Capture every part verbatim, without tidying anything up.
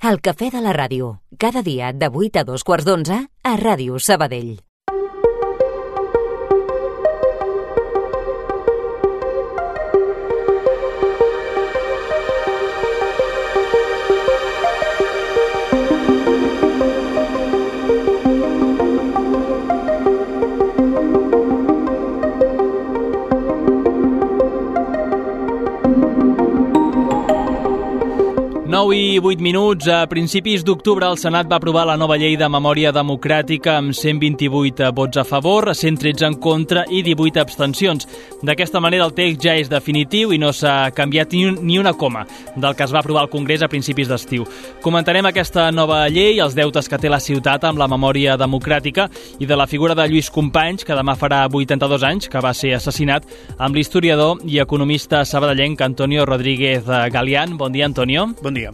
El cafè de la ràdio, cada dia de vuit a dos quarts d'onze a Ràdio Sabadell. nou i vuit minuts. A principis d'octubre el Senat va aprovar la nova llei de memòria democràtica amb cent vint-i-vuit vots a favor, cent tretze en contra i divuit abstencions. D'aquesta manera el text ja és definitiu i no s'ha canviat ni, un, ni una coma del que es va aprovar al Congrés a principis d'estiu. Comentarem aquesta nova llei, els deutes que té la ciutat amb la memòria democràtica i de la figura de Lluís Companys, que demà farà vuitanta-dos anys, que va ser assassinat, amb l'historiador i economista sabadellenc Antonio Rodríguez Galián. Bon dia, Antonio. Bon dia.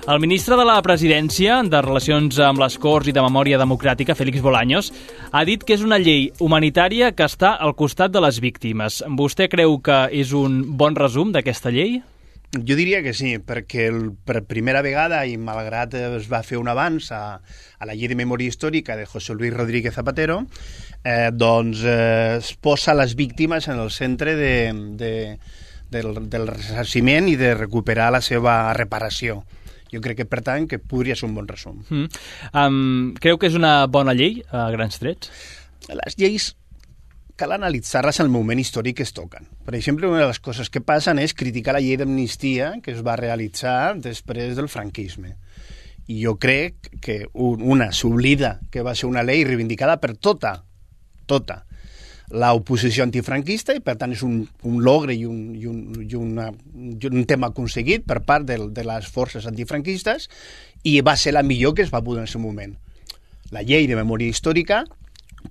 El ministre de la Presidència, de Relacions amb les Corts i de Memòria Democràtica, Félix Bolaños, ha dit que és una llei humanitària que està al costat de les víctimes. Vostè creu que és un bon resum d'aquesta llei? Jo diria que sí, perquè el, per primera vegada, i malgrat es va fer un avanç a, a la llei de memòria històrica de José Luis Rodríguez Zapatero, eh, doncs eh, es posa les víctimes en el centre de, de, del, del ressarciment i de recuperar la seva reparació. Jo crec que, per tant, que podria ser un bon resum. Mm. Um, creu que és una bona llei, a grans trets? Les lleis cal analitzar-les al moment històric que es toquen. Per exemple, una de les coses que passen és criticar la llei d'amnistia que es va realitzar després del franquisme. I jo crec que una s'oblida que va ser una llei reivindicada per tota, tota, l'oposició antifranquista i, per tant, és un, un logre i, un, i, un, i, una, i un tema aconseguit per part de, de les forces antifranquistes i va ser la millor que es va poder en el seu moment. La llei de memòria històrica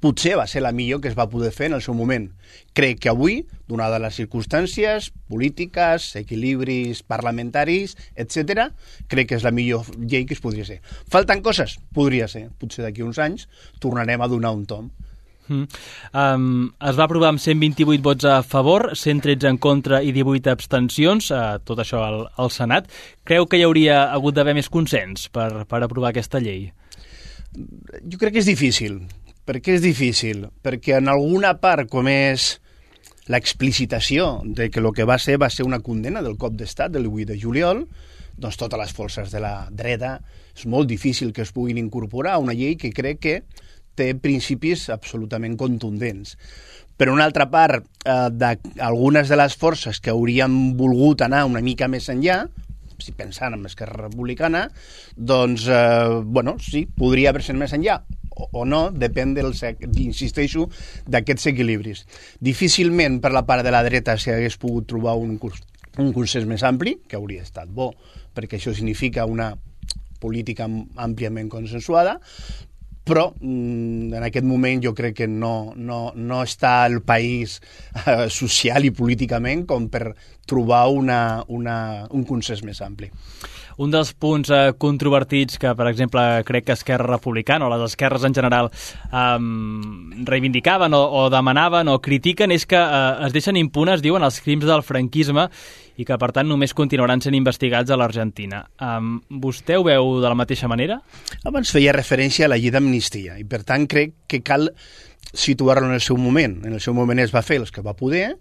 potser va ser la millor que es va poder fer en el seu moment. Crec que avui, donades les circumstàncies polítiques, equilibris parlamentaris, etcètera, crec que és la millor llei que es podria ser. Falten coses? Podria ser. Potser d'aquí uns anys tornarem a donar un tom. Mm. Um, es va aprovar amb cent vint-i-vuit vots a favor, cent tretze en contra i divuit abstencions, uh, tot això al, al Senat. Creu que hi hauria hagut d'haver més consens per, per aprovar aquesta llei? Jo crec que és difícil. Per què és difícil? Perquè en alguna part, com és l'explicitació de que el que va ser va ser una condena del cop d'estat del vuit de juliol, doncs totes les forces de la dreta és molt difícil que es puguin incorporar a una llei que crec que té principis absolutament contundents. Per una altra part, eh, d'algunes de les forces que haurien volgut anar una mica més enllà, si pensant en Esquerra Republicana, doncs, eh, bueno, sí, podria haver-se més enllà, o, o no, depèn dels, insisteixo, d'aquests equilibris. Difícilment per la part de la dreta s'hagués pogut trobar un, un consens més ampli, que hauria estat bo, perquè això significa una política àmpliament consensuada, però en aquest moment jo crec que no, no, no està el país eh, social i políticament com per trobar una, una, un consens més ampli. Un dels punts eh, controvertits que, per exemple, crec que Esquerra Republicana o les esquerres en general eh, reivindicaven o, o demanaven o critiquen és que eh, es deixen impunes, diuen, els crims del franquisme i que, per tant, només continuaran sent investigats a l'Argentina. Um, vostè ho veu de la mateixa manera? Abans feia referència a la llei d'amnistia i, per tant, crec que cal situar-lo en el seu moment. En el seu moment es va fer els que va poder.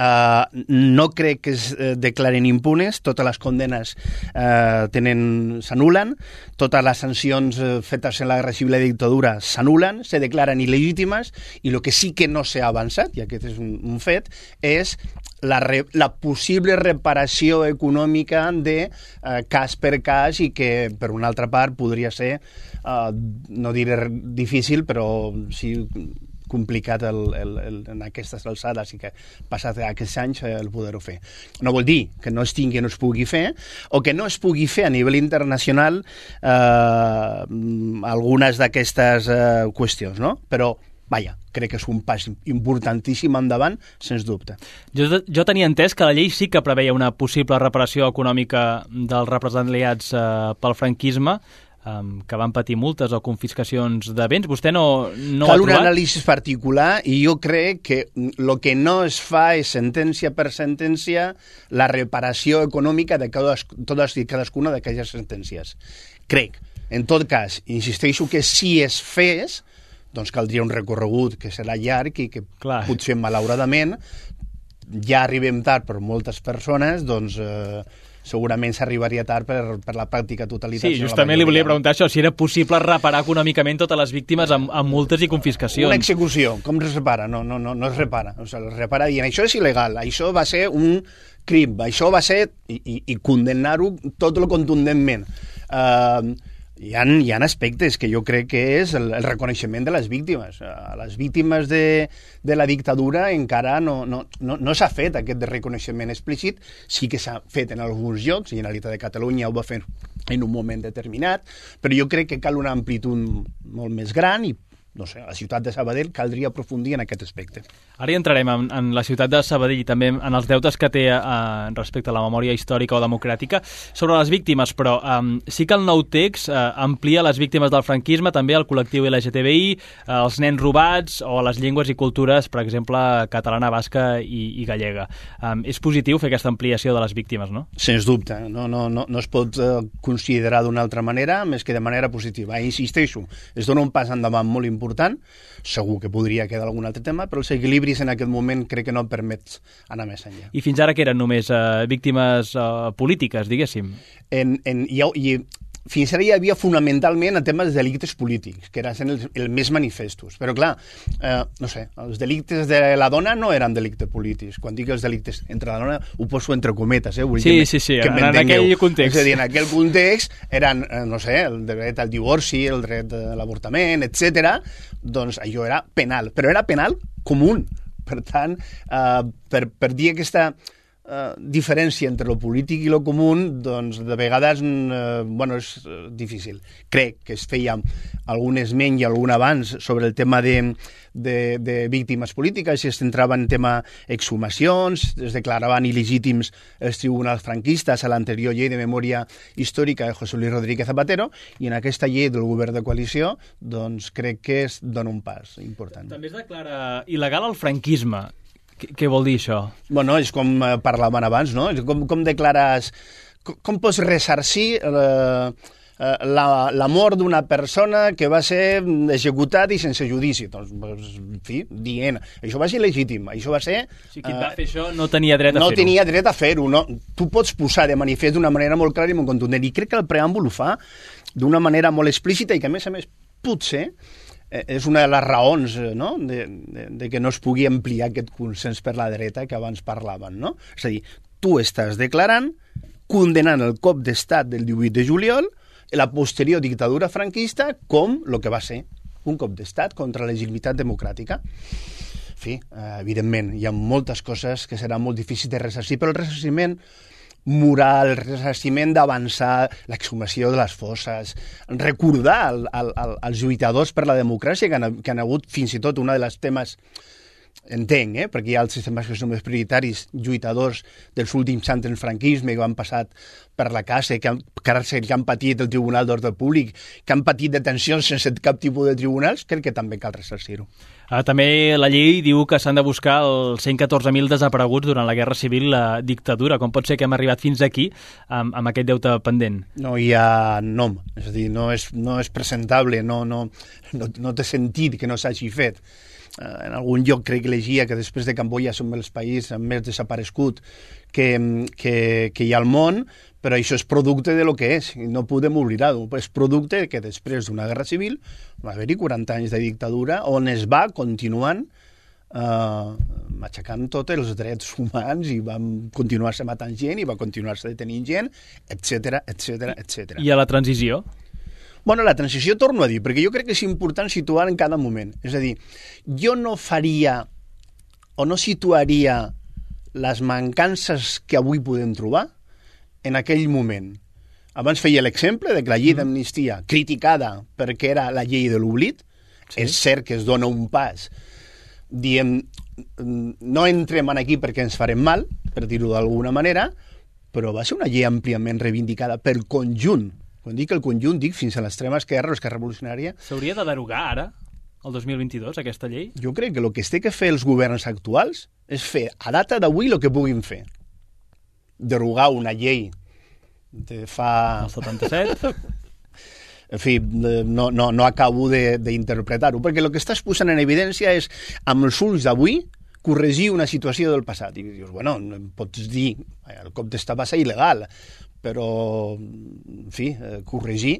Uh, no crec que es uh, declaren impunes. Totes les condenes uh, tenen s'anulen. Totes les sancions uh, fetes en la guerra civil i la dictadura s'anulen, se declaren il·legítimes, i el que sí que no s'ha avançat, i aquest és un, un fet, és La, re, la possible reparació econòmica de eh, cas per cas i que, per una altra part, podria ser, eh, no diré difícil, però sí complicat el, el, el, en aquestes alçades i que passat aquests anys eh, el poder-ho fer. No vol dir que no es tingui, no es pugui fer, o que no es pugui fer a nivell internacional eh, algunes d'aquestes eh, qüestions, no? Però vaja, crec que és un pas importantíssim endavant, sens dubte. Jo, jo tenia entès que la llei sí que preveia una possible reparació econòmica dels represaliats eh, pel franquisme. um, que van patir multes o confiscacions de béns. Vostè no, no Cal ho ha un trobat? anàlisi particular i jo crec que el que no es fa és sentència per sentència la reparació econòmica de totes, totes i cadascuna d'aquelles sentències. Crec. En tot cas, insisteixo que si es fes, doncs caldria un recorregut que serà llarg i que Clar. potser malauradament ja arribem tard per moltes persones, doncs eh, segurament s'arribaria tard per, per la pràctica totalitat. Sí, justament li volia preguntar això, si era possible reparar econòmicament totes les víctimes amb, amb multes i confiscacions. Una execució, com es repara? No, no, no, no es repara. O sigui, es repara dient, això és il·legal, això va ser un crim, això va ser... i, i, i condemnar-ho tot el contundentment. Uh, Hi ha, hi ha aspectes que jo crec que és el, el reconeixement de les víctimes. A les víctimes de, de la dictadura encara no, no, no, no s'ha fet aquest reconeixement explícit. Sí que s'ha fet en alguns llocs, i Generalitat de Catalunya ho va fer en un moment determinat, però jo crec que cal una amplitud molt més gran i, no sé, a la ciutat de Sabadell caldria aprofundir en aquest aspecte. Ara hi entrarem en, en la ciutat de Sabadell i també en els deutes que té eh, respecte a la memòria històrica o democràtica sobre les víctimes, però eh, sí que el nou text eh, amplia les víctimes del franquisme, també el col·lectiu L G T B I, eh, els nens robats o les llengües i cultures, per exemple, catalana, basca i, i gallega. Eh, és positiu fer aquesta ampliació de les víctimes, no? Sens dubte. No, no, no, no es pot eh, considerar d'una altra manera més que de manera positiva. I insisteixo, es dona un pas endavant molt important important, segur que podria quedar algun altre tema, però els equilibris en aquest moment crec que no permet anar més enllà. I fins ara que eren només eh, víctimes eh, polítiques, diguéssim? En, en, i, i fins ara hi havia fonamentalment el tema dels delictes polítics, que eren els, els més manifestos. Però clar, eh, no sé, els delictes de la dona no eren delictes polítics. Quan dic els delictes entre la dona, ho poso entre cometes, eh? Vull sí, que sí, sí, que en, en aquell context. És a dir, en aquell context eren, eh, no sé, el dret al divorci, el dret a l'avortament, etcètera. Doncs allò era penal, però era penal comú. Per tant, eh, per, per dir aquesta... Uh, diferència entre lo polític i lo comú, doncs de vegades uh, bueno, és uh, difícil. Crec que es feia algun esment i algun abans sobre el tema de, de, de víctimes polítiques, i es centrava en tema exhumacions, es declaraven il·legítims els tribunals franquistes a l'anterior llei de memòria històrica de José Luis Rodríguez Zapatero, i en aquesta llei del govern de coalició doncs crec que es dona un pas important. També es declara il·legal el franquisme. Què vol dir això? Bueno, és com parlàvem abans, no? És com, com declares... Com, com pots ressarcir eh, la, la mort d'una persona que va ser executada i sense judici? Doncs, en fi, dient, això va ser legítim, això va ser... O sigui, qui va fer això no tenia dret a no fer-ho. No tenia dret a fer-ho, no? Tu pots posar de manifest d'una manera molt clara i molt contundent, i crec que el preàmbul ho fa d'una manera molt explícita i que, a més a més, potser... és una de les raons, no? de, de, de que no es pugui ampliar aquest consens per la dreta que abans parlaven. No? És a dir, tu estàs declarant, condenant el cop d'estat del divuit de juliol i la posterior dictadura franquista com el que va ser un cop d'estat contra la legitimitat democràtica. En fi, evidentment, hi ha moltes coses que seran molt difícils de ressarcir, però el ressarciment moral, el ressarciment d'avançar, l'exhumació de les fosses, recordar al, al, al, als lluitadors per la democràcia que han, que han hagut fins i tot una de les temes, entenc, eh? perquè hi ha els sistemes que són més prioritaris, lluitadors dels últims anys del franquisme que han passat per la casa, que han, càrcel, que han patit el Tribunal d'Ordre Públic, que han patit detencions sense cap tipus de tribunals, crec que també cal ressarcir-ho. Ah, també la llei diu que s'han de buscar els cent catorze mil desapareguts durant la Guerra Civil i la dictadura. Com pot ser que hem arribat fins aquí amb, amb aquest deute pendent? No hi ha nom, és a dir, no és, no és presentable, no, no, no, no té sentit que no s'hagi fet. En algun lloc crec que llegia que després de Camboya som els països amb més desaparegut que, que, que hi ha al món, però això és producte de lo que és, i no podem oblidar-ho. És producte que després d'una guerra civil va haver-hi quaranta anys de dictadura on es va continuant eh, matxacant tots els drets humans i van continuar-se matant gent i va continuar-se detenint gent, etcètera, etcètera, etcètera. I a la transició? Bueno, la transició torno a dir, perquè jo crec que és important situar en cada moment. És a dir, jo no faria o no situaria les mancances que avui podem trobar en aquell moment. Abans feia l'exemple de que la llei d'amnistia, criticada perquè era la llei de l'oblit, sí. És cert que es dona un pas. Diem, no entrem aquí perquè ens farem mal, per dir-ho d'alguna manera, però va ser una llei àmpliament reivindicada pel conjunt quan dic el conjunt, dic fins a l'extrema esquerra o esquerra revolucionària. S'hauria de derogar ara, el dos mil vint-i-dos, aquesta llei? Jo crec que el que es té que fer els governs actuals és fer, a data d'avui, el que puguin fer. Derogar una llei de fa... El setanta-set? En fi, no, no, no acabo d'interpretar-ho, perquè el que estàs posant en evidència és, amb els ulls d'avui, corregir una situació del passat. I dius, bueno, pots dir, el cop d'estat va ser il·legal, però, en fi, corregir,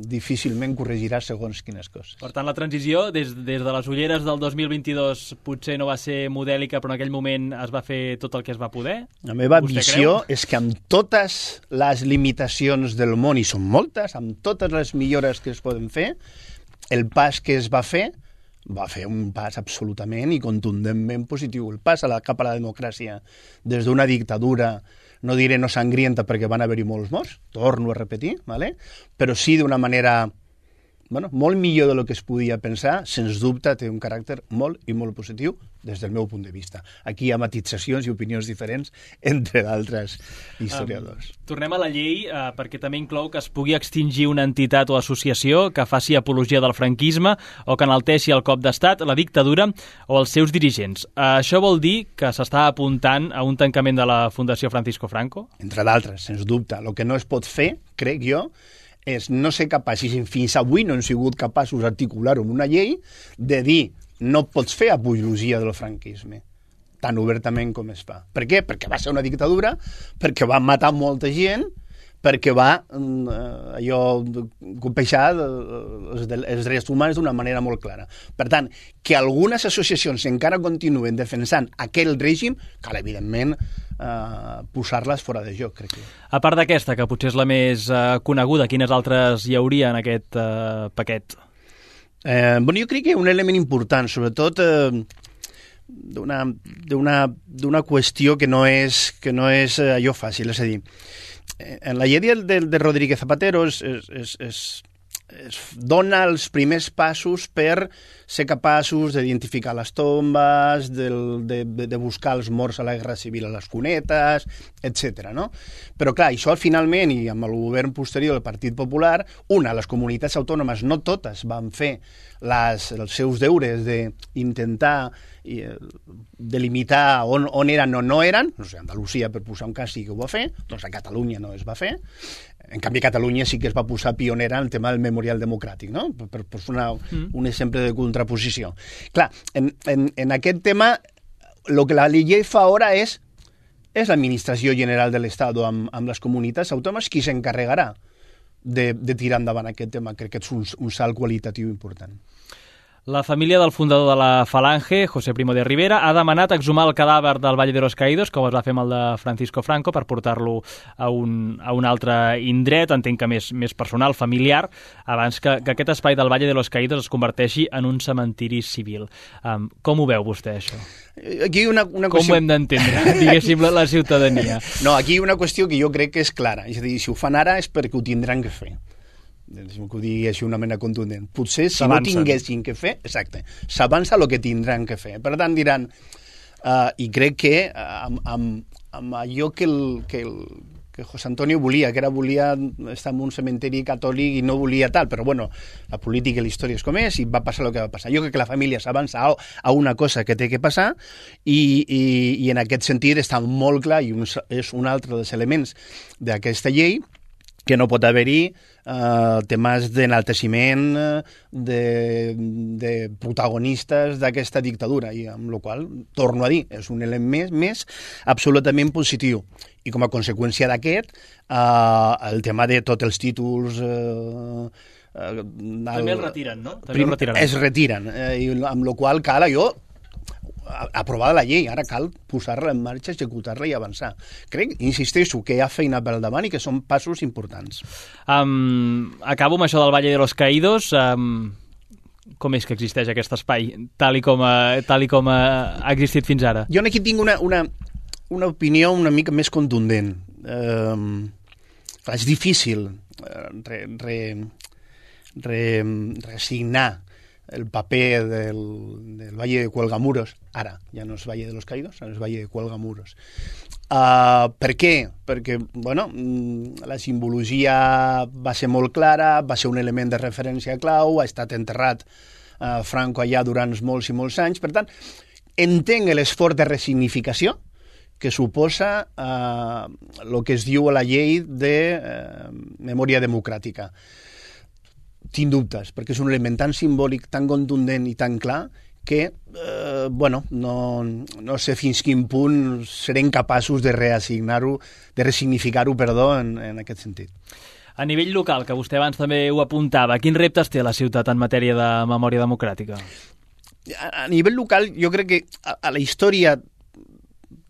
difícilment corregirà segons quines coses. Per tant, la transició, des, des de les ulleres del dos mil vint-i-dos, potser no va ser modèlica, però en aquell moment es va fer tot el que es va poder? La meva visió és que amb totes les limitacions del món, i són moltes, amb totes les millores que es poden fer, el pas que es va fer va fer un pas absolutament i contundentment positiu. El pas a la, cap a la democràcia des d'una dictadura, no diré no sangrienta perquè van haver-hi molts morts, torno a repetir, ¿vale? Però sí d'una manera bueno, molt millor del que es podia pensar, sens dubte té un caràcter molt i molt positiu des del meu punt de vista. Aquí hi ha matitzacions i opinions diferents entre d'altres historiadors. Um, tornem a la llei uh, perquè també inclou que es pugui extingir una entitat o associació que faci apologia del franquisme o que enalteixi el cop d'estat, la dictadura o els seus dirigents. Uh, això vol dir que s'està apuntant a un tancament de la Fundació Francisco Franco? Entre d'altres, sens dubte. El que no es pot fer, crec jo, és no ser capaç, i fins avui no hem sigut capaços d'articular-ho en una llei, de dir no pots fer apologia del franquisme tan obertament com es fa. Per què? Perquè va ser una dictadura, perquè va matar molta gent, perquè va eh, allò colpejar els, els drets humans d'una manera molt clara. Per tant, que algunes associacions encara continuen defensant aquell règim, cal evidentment eh, posar-les fora de joc, crec que. A part d'aquesta, que potser és la més eh, coneguda, quines altres hi hauria en aquest eh, paquet? Eh, bueno, jo crec que un element important, sobretot eh, d'una d'una qüestió que no és, que no és allò fàcil, és a dir, en la llei de, de, de Rodríguez Zapatero es, es, es, es, es dona els primers passos per ser capaços d'identificar les tombes, del, de, de buscar els morts a la Guerra Civil a les cunetes, etcètera. No? Però clar, això finalment, i amb el govern posterior del Partit Popular, una, les comunitats autònomes, no totes van fer les, els seus deures d'intentar i, delimitar on, on eren o no eren, no sé, Andalusia, per posar un cas, sí que ho va fer, doncs a Catalunya no es va fer. En canvi, a Catalunya sí que es va posar pionera en el tema del memorial democràtic, no? Per, per, per fer una, mm. un exemple de contraposició. Clar, en, en, en aquest tema, el que la llei fa ara és és l'Administració General de l'Estat amb, amb les comunitats autònomes qui s'encarregarà de, de tirar endavant aquest tema. Crec que és un, un salt qualitatiu important. La família del fundador de la Falange, José Primo de Rivera, ha demanat exhumar el cadàver del Valle de los Caídos, com es va fer amb el de Francisco Franco, per portar-lo a, un, a un altre indret, entenc que més, més personal, familiar, abans que, que aquest espai del Valle de los Caídos es converteixi en un cementiri civil. Um, com ho veu vostè, això? Aquí una, una com qüestió... ho hem d'entendre, diguéssim, la, la ciutadania? No, aquí hi ha una qüestió que jo crec que és clara. És a dir, si ho fan ara és perquè ho tindran que fer. Deixa'm que ho digui així una mena contundent. Potser si no tinguessin que fer, exacte, s'avança el que tindran que fer. Per tant, diran, uh, i crec que uh, amb, amb, amb allò que, el, que, el, que José Antonio volia, que era volia estar en un cementeri catòlic i no volia tal, però bueno, la política i la història és com és i va passar el que va passar. Jo crec que la família s'avança a, a una cosa que té que passar i, i, i en aquest sentit està molt clar i un, és un altre dels elements d'aquesta llei que no pot haver-hi eh, temes d'enalteciment de, de protagonistes d'aquesta dictadura, i amb la qual, torno a dir, és un element més, més absolutament positiu. I com a conseqüència d'aquest, eh, el tema de tots els títols... Eh, eh, També el retiren, no? També el retiraran. Es retiren, eh, i amb la qual cal allò aprovada la llei, ara cal posar-la en marxa, executar-la i avançar. Crec, insisteixo, que hi ha feina per davant i que són passos importants. Um, acabo amb això del Valle de los Caídos. Um, com és que existeix aquest espai, tal i com, a, tal i com a, ha existit fins ara? Jo aquí tinc una, una, una opinió una mica més contundent. Um, és difícil uh, re, re, re, resignar el paper del, del Valle de Cuelgamuros, ara ja no és Valle de los Caídos, ara és Valle de Cuelgamuros. Uh, per què? Perquè, bueno, la simbologia va ser molt clara, va ser un element de referència clau, ha estat enterrat uh, Franco allà durant molts i molts anys, per tant, entenc l'esforç de resignificació que suposa el uh, que es diu a la llei de uh, memòria democràtica. Tinc dubtes, perquè és un element tan simbòlic, tan contundent i tan clar que, eh, bueno, no, no sé fins quin punt serem capaços de reassignar-ho, de resignificar-ho, perdó, en, en aquest sentit. A nivell local, que vostè abans també ho apuntava, quins reptes té la ciutat en matèria de memòria democràtica? A, a nivell local, jo crec que a, a la història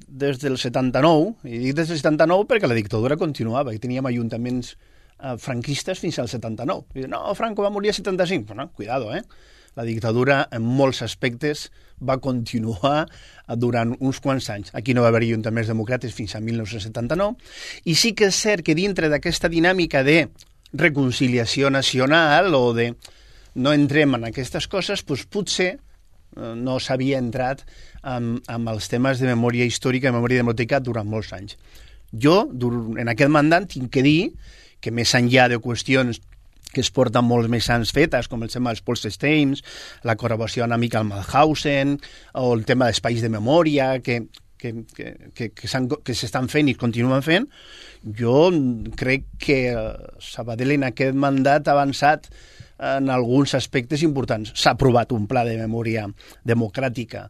des del setanta-nou, i dic des del setanta-nou perquè la dictadura continuava, i teníem ajuntaments eh, franquistes fins al setanta-nou. I, no, Franco va morir a setanta-cinc. Bueno, cuidado, eh? La dictadura, en molts aspectes, va continuar durant uns quants anys. Aquí no va haver ajuntaments democràtics fins a mil nou-cents setanta-nou, i sí que és cert que dintre d'aquesta dinàmica de reconciliació nacional o de no entrem en aquestes coses, doncs potser no s'havia entrat amb, amb els temes de memòria històrica i memòria democràtica durant molts anys. Jo, en aquest mandat, tinc que dir que més enllà de qüestions que es porten molts més anys fetes, com el tema dels Polstersteims, la col·laboració amb Michael Malhausen, o el tema d'espais de memòria, que, que, que, que, que s'estan fent i continuen fent, jo crec que Sabadell en aquest mandat ha avançat en alguns aspectes importants. S'ha aprovat un pla de memòria democràtica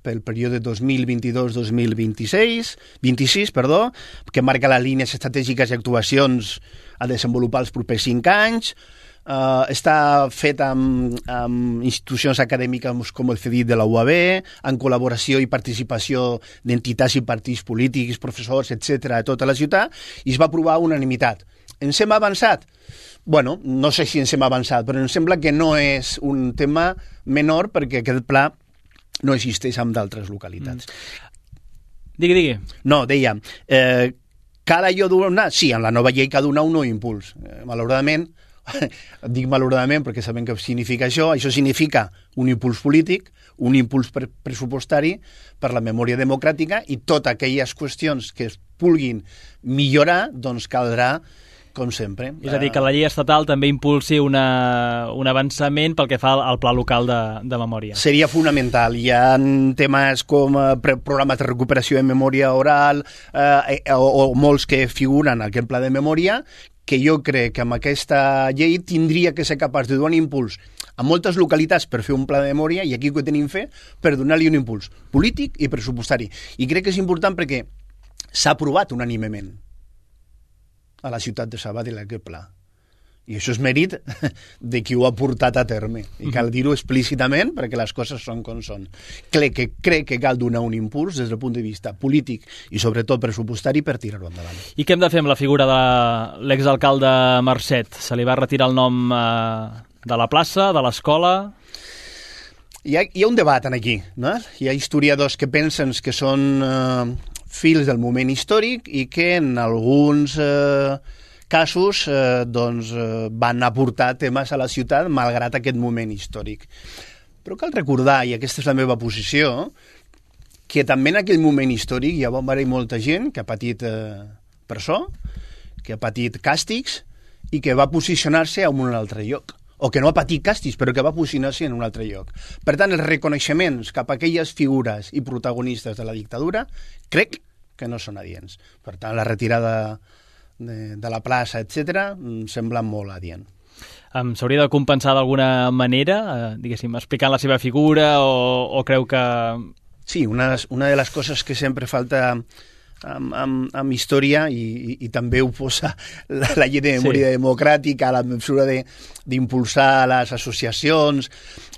pel període dos mil vint-i-dos dos mil vint-i-sis, vint-i-sis, perdó, que marca les línies estratègiques i actuacions a desenvolupar els propers cinc anys. Uh, està fet amb, amb institucions acadèmiques com el CEDIT de la U A B, en col·laboració i participació d'entitats i partits polítics, professors, etcètera, a tota la ciutat, i es va aprovar a unanimitat. Ens hem avançat? Bueno, no sé si ens hem avançat, però em sembla que no és un tema menor perquè aquest pla no existeix en d'altres localitats. Mm. Digui, digui. No, deia, eh, cal allò donar? Sí, en la nova llei cal donar un nou impuls. Eh, malauradament, dic malauradament perquè sabem què significa això, això significa un impuls polític, un impuls pre pressupostari per la memòria democràtica, i totes aquelles qüestions que es vulguin millorar, doncs caldrà, com sempre. És a dir, que la llei estatal també impulsi una, un avançament pel que fa al, al pla local de, de memòria. Seria fonamental. Hi ha temes com eh, programes de recuperació de memòria oral eh, o, o molts que figuren en aquest pla de memòria, que jo crec que amb aquesta llei tindria que ser capaç de donar un impuls a moltes localitats per fer un pla de memòria, i aquí ho tenim fer per donar-li un impuls polític i pressupostari. I crec que és important perquè s'ha aprovat unànimement a la ciutat de Sabadell aquest pla. I això és mèrit de qui ho ha portat a terme. I cal dir-ho explícitament perquè les coses són com són. Crec que, crec que cal donar un impuls des del punt de vista polític i sobretot pressupostari per tirar-ho endavant. I què hem de fer amb la figura de l'exalcalde Marcet? Se li va retirar el nom eh, de la plaça, de l'escola? Hi ha, hi ha un debat aquí, no? Hi ha historiadors que pensen que són eh, fils del moment històric i que en alguns eh, casos eh, doncs, eh, van aportar temes a la ciutat malgrat aquest moment històric. Però cal recordar, i aquesta és la meva posició, que també en aquell moment històric hi va haver molta gent que ha patit eh, presó, que ha patit càstigs i que va posicionar-se en un altre lloc, o que no ha patit càstigs, però que va posicionar-se en un altre lloc. Per tant, els reconeixements cap a aquelles figures i protagonistes de la dictadura crec que no són adients. Per tant, la retirada de, de la plaça, etcètera, em sembla molt adient. Um, S'hauria de compensar d'alguna manera, eh, diguéssim, explicant la seva figura, o, o creu que... Sí, una, una de les coses que sempre falta amb, amb, amb història, i, i, i també ho posa la, la llei de memòria sí. democràtica, la mesura d'impulsar les associacions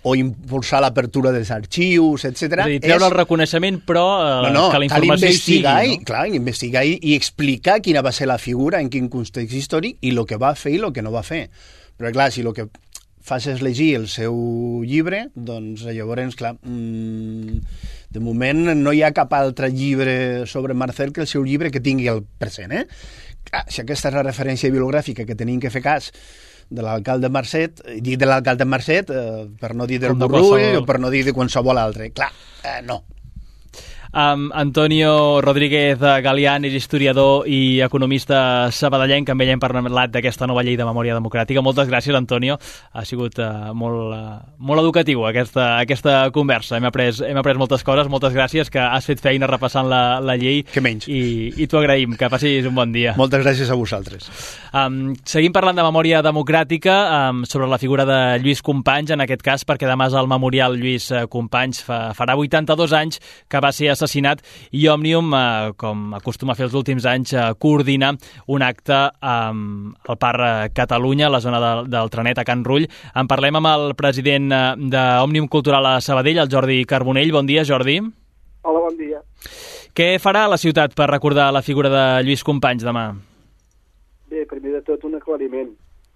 o impulsar l'apertura dels arxius, etcètera. És a dir, treure és... el reconeixement, però eh, no, no, que la informació hi sigui. I, no? Clar, investigar i, i explicar quina va ser la figura, en quin context històric, i el que va fer i el que no va fer. Però clar, si el que fas és llegir el seu llibre, doncs llavors, clar, mmm, de moment no hi ha cap altre llibre sobre Marcel que el seu llibre que tingui el present, eh? Clar, si aquesta és la referència bibliogràfica que tenim que fer cas, de l'alcalde Marcet, i dic de l'alcalde Marcet eh, per no dir del Com de Borrull qualsevol. o per no dir de qualsevol altre. Clar, eh, no. Um, Antonio Rodríguez Galián és historiador i economista sabadellenc, que amb ell hem parlat d'aquesta nova llei de memòria democràtica. Moltes gràcies, Antonio. Ha sigut uh, molt, uh, molt educatiu aquesta, aquesta conversa. Hem après, hem après moltes coses. Moltes gràcies, que has fet feina repassant la, la llei. Que menys. I, i t'ho agraïm. Que passis un bon dia. Moltes gràcies a vosaltres. Um, seguim parlant de memòria democràtica, um, sobre la figura de Lluís Companys, en aquest cas, perquè demà és el memorial Lluís Companys. Fa, farà vuitanta-dos anys que va ser assassinat, i Òmnium, eh, com acostuma a fer els últims anys, eh, coordina un acte eh, al Parc Catalunya, a la zona de, del Trenet, a Can Rull. En parlem amb el president eh, d'Òmnium Cultural a Sabadell, el Jordi Carbonell. Bon dia, Jordi. Hola, bon dia. Què farà la ciutat per recordar la figura de Lluís Companys demà? Bé, primer de tot un aclariment.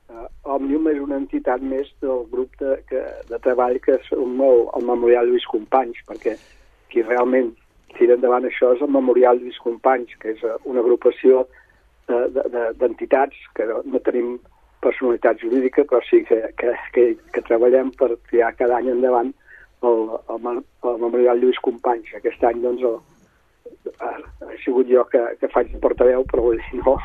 Uh, Òmnium és una entitat més del grup de, que, de treball que és el, el Memorial Lluís Companys, perquè qui realment tira endavant això és el Memorial Lluís Companys, que és una agrupació d'entitats de, de, que no, no tenim personalitat jurídica, però sí que, que, que, que treballem per tirar cada any endavant el, el, el Memorial Lluís Companys. Aquest any, doncs, el, ha, ha sigut jo que, que faig de portaveu, però vull dir, no,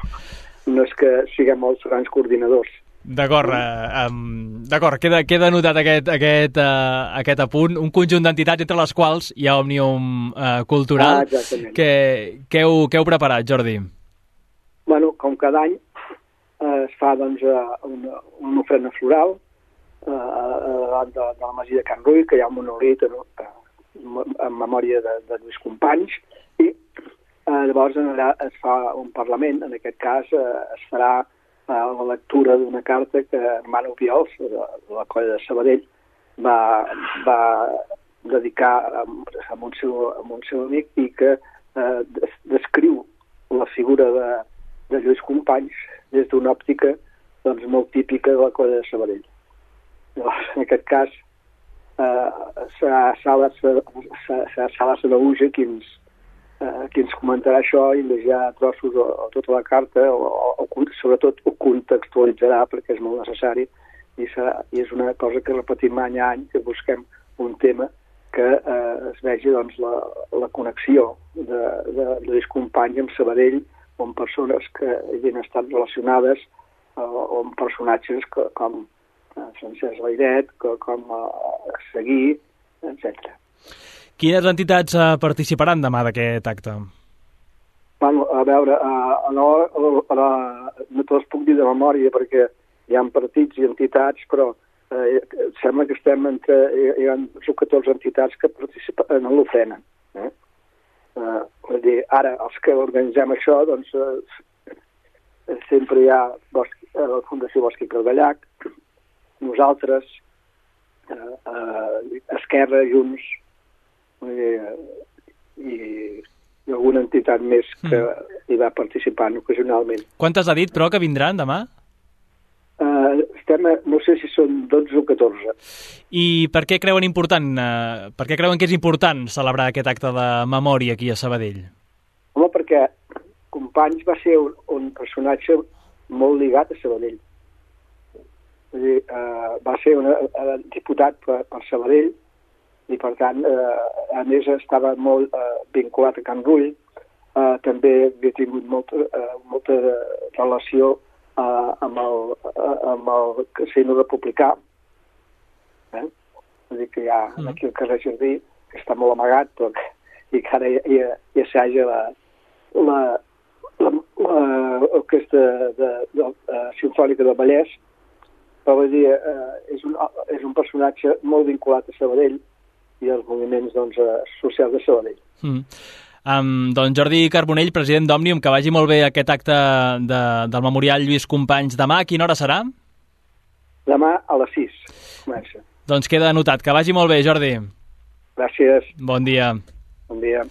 no és que siguem els grans coordinadors. D'acord, eh, um, d'acord, queda, queda notat aquest, aquest, uh, aquest apunt. Un conjunt d'entitats entre les quals hi ha Òmnium uh, Cultural. Ah, exactament. Què, què, heu, què heu preparat, Jordi? Bueno, com cada any eh, es fa doncs, una, una ofrena floral eh, davant de, de la masia de Can Rull, que hi ha un monolit en, en memòria de, de Lluís Companys, i eh, llavors allà es fa un parlament. En aquest cas eh, es farà la lectura d'una carta que Hermano Obiols, de la colla de Sabadell, va, va dedicar a, a, un seu, a un seu amic, i que eh, descriu la figura de, de Lluís Companys des d'una òptica doncs, molt típica de la colla de Sabadell. Llavors, en aquest cas, eh, serà Sala Sanaúja qui ens Uh, qui ens comentarà això i llegirà trossos o, o tota la carta, o, o, o sobretot ho contextualitzarà, perquè és molt necessari, i, serà, i és una cosa que repetim any a any, que busquem un tema que eh, es vegi doncs, la, la connexió de, de Lluís Companys amb Sabadell, o amb persones que havien estat relacionades, uh, o amb personatges que, com uh, Francesc Layret, que, com uh, Seguí, etcètera. Quines entitats uh, participaran demà d'aquest acte? Bueno, a veure, uh, no, uh, no te les puc dir de memòria perquè hi ha partits i entitats, però uh, sembla que estem entre... Hi ha catorze entitats que participen en l'ofrena. Eh? Uh, vull dir, ara, els que organitzem això, doncs, uh, sempre hi ha Bosc, uh, la Fundació Bosc i Cardellac, nosaltres, uh, uh, Esquerra, Junts, I, i, i alguna entitat més que mm. hi va participant ocasionalment. Quantes ha dit, però, que vindran demà? Uh, estem a, no sé si són dotze o catorze. I per què creuen important, uh, per què creuen que és important celebrar aquest acte de memòria aquí a Sabadell? Home, perquè Companys va ser un, un personatge molt lligat a Sabadell. Vull dir, uh, va ser un uh, diputat per, per Sabadell, i per tant, eh, a més estava molt eh, vinculat a Can Rull, eh, també havia tingut molta, eh, molta relació eh, amb, el, eh, amb el casino republicà. Eh? Vull dir que hi ha mm. aquí al carrer Jardí, que està molt amagat, però que, i que ara hi, hi, hi assaja la, la, la, la orquestra de, de, de, de, Simfònica del Vallès, però vull dir, eh, és, un, és un personatge molt vinculat a Sabadell, i els moviments doncs, socials de Sabadell. Mm. Um, doncs Jordi Carbonell, president d'Òmnium, que vagi molt bé aquest acte de, del Memorial Lluís Companys demà. A quina hora serà? Demà a les sis comença. Doncs queda anotat. Que vagi molt bé, Jordi. Gràcies. Bon dia. Bon dia.